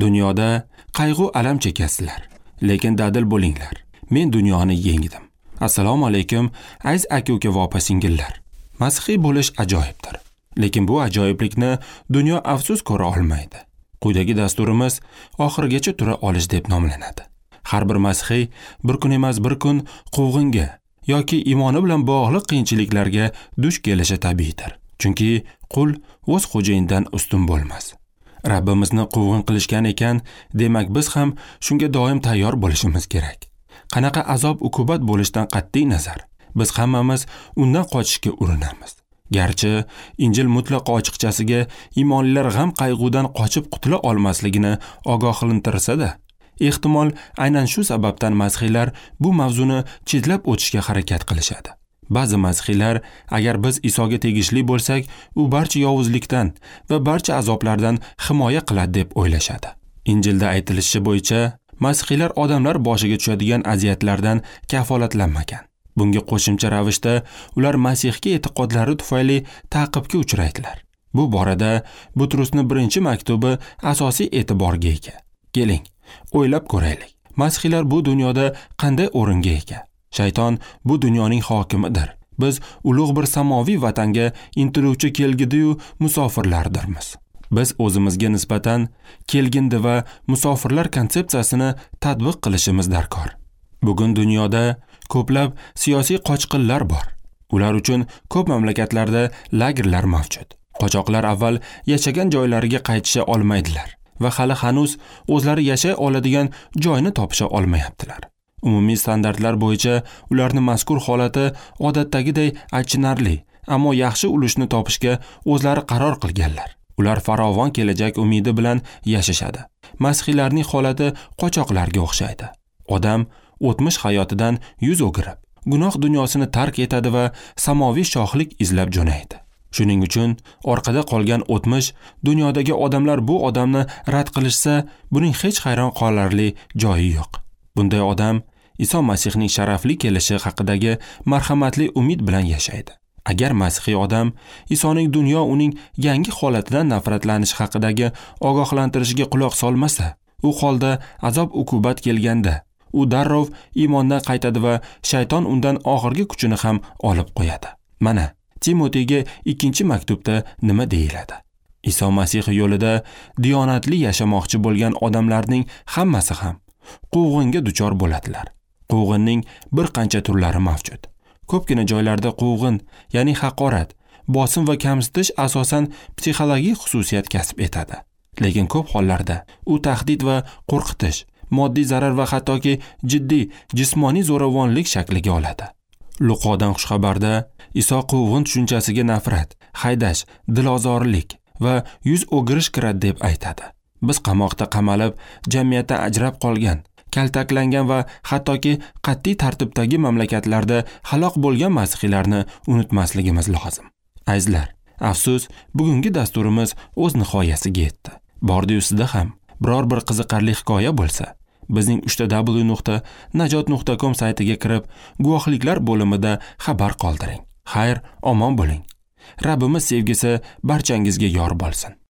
Dunyoda qayg'u alam chekasizlar, lekin dadil bo'linglar. Men dunyoni yengdim. Assalomu alaykum, aziz aka-uka va opa-singillar. Masihiy bo'lish ajoyibdir. Lekin bu ajoyiblikni dunyo afsus ko'ra olmaydi. Quyidagi dasturimiz oxirigacha tura olish deb nomlanadi. Har bir masihiy bir kun emas bir kun quvg'inga yoki iymoni bilan bog'liq qiyinchiliklarga duch kelishi tabiiydir. Chunki qul o'z xo'jayinidan ustun bo'lmas. Rabbimizni quvg'in qilishgan ekan, demak biz ham shunga doim tayyor bo'lishimiz kerak. Qanaqa azob uqubat bo'lishdan qat'iy nazar, biz hammamiz undan qochishga urinamiz. Garchi Injil mutlaqo ochiqchasiga iymonlilar g'am qayg'udan qochib qutula olmasligini ogohlantirsa-da, ehtimol aynan shu sababdan masihiylar bu mavzuni chetlab o'tishga harakat qilishadi. Ba'zi masihiylar, agar biz Isoga tegishli bo'lsak, u barcha yovuzlikdan va barcha azoblardan himoya qiladi deb o'ylashadi. Injilda aytilishi bo'yicha, masihiylar odamlar boshiga tushadigan aziyatlardan kafolatlanmagan. Bunga qo'shimcha ravishda ular Masihga e'tiqodlari tufayli ta'qibga uchraydilar. Bu borada Butrusning birinchi maktubi asosiy e'tiborga ega. Keling, o'ylab ko'raylik. Masihiylar bu dunyoda qanday o'ringa ega? Shayton bu dunyoning hokimidir. Biz ulug' bir samoviy vatanga intiluvchi kelgindi-yu musofirlardirmiz. Biz o'zimizga nisbatan kelgindi va musofirlar konsepsiyasini tatbiq qilishimiz darkor. Bugun dunyoda ko'plab siyosiy qochqinlar bor. Ular uchun ko'p mamlakatlarda lagerlar mavjud. Qochoqlar avval yashagan joylariga qaytisha olmaydilar va hali hanuz o'zlari yashay oladigan joyni topisha olmayaptilar. Umumiy standartlar bo'yicha ularning mazkur holati odatdagiday achinarli, ammo yaxshi ulushni topishga o'zlari qaror qilganlar. Ular farovon kelajak umidi bilan yashashadi. Masihiylarning holati qochoqlarga o'xshaydi. Odam o'tmish hayotidan yuz o'girib, gunoh dunyosini tark etadi va samoviy shohlik izlab jo'naydi. Shuning uchun orqada qolgan o'tmish dunyodagi odamlar bu odamni rad qilishsa, buning hech hayron qolarli joyi yo'q. Bunday odam Iso Masihning sharafli kelishi haqidagi marhamatli umid bilan yashaydi. Agar masihiy odam Isoning dunyo uning yangi holatidan nafratlanishi haqidagi ogohlantirishiga quloq solmasa, u holda azob uqubat kelganda u darrov iymondan qaytadi va shayton undan oxirgi kuchini ham olib qo'yadi. Mana Timoteyga 2 maktubda nima deyiladi? Iso Masih yo'lida diyonatli yashamoqchi bo'lgan odamlarning hammasi ham quvg'inga duchor bo'ladilar. Quvg'inning bir qancha turlari mavjud. Ko'pgina joylarda quvg'in, ya'ni haqorat, bosim va kamsitish asosan psixologik xususiyat kasb etadi. Lekin ko'p hollarda u tahdid va qo'rqitish, moddiy zarar va hattoki jiddiy jismoniy zo'ravonlik shakliga oladi. Luqodan xushxabarda Iso quvg'in tushunchasiga nafrat, haydash, dilozorlik va yuz o'girish kiradi deb aytadi. Biz qamoqda qamalib, jamiyatdan ajrab qolgan, kaltaklangan va hattoki qat'iy tartibdagi mamlakatlarda halok bo'lgan masihiylarni unutmasligimiz lozim. Azizlar, afsus, bugungi dasturimiz o'z nihoyasiga yetdi. Bordi-yu sizda ham biror bir qiziqarli hikoya bo'lsa, bizning www.najot.com saytiga kirib, guvohliklar bo'limida xabar qoldiring. Xayr, omon bo'ling. Rabbimiz sevgisi barchangizga yor bo'lsin.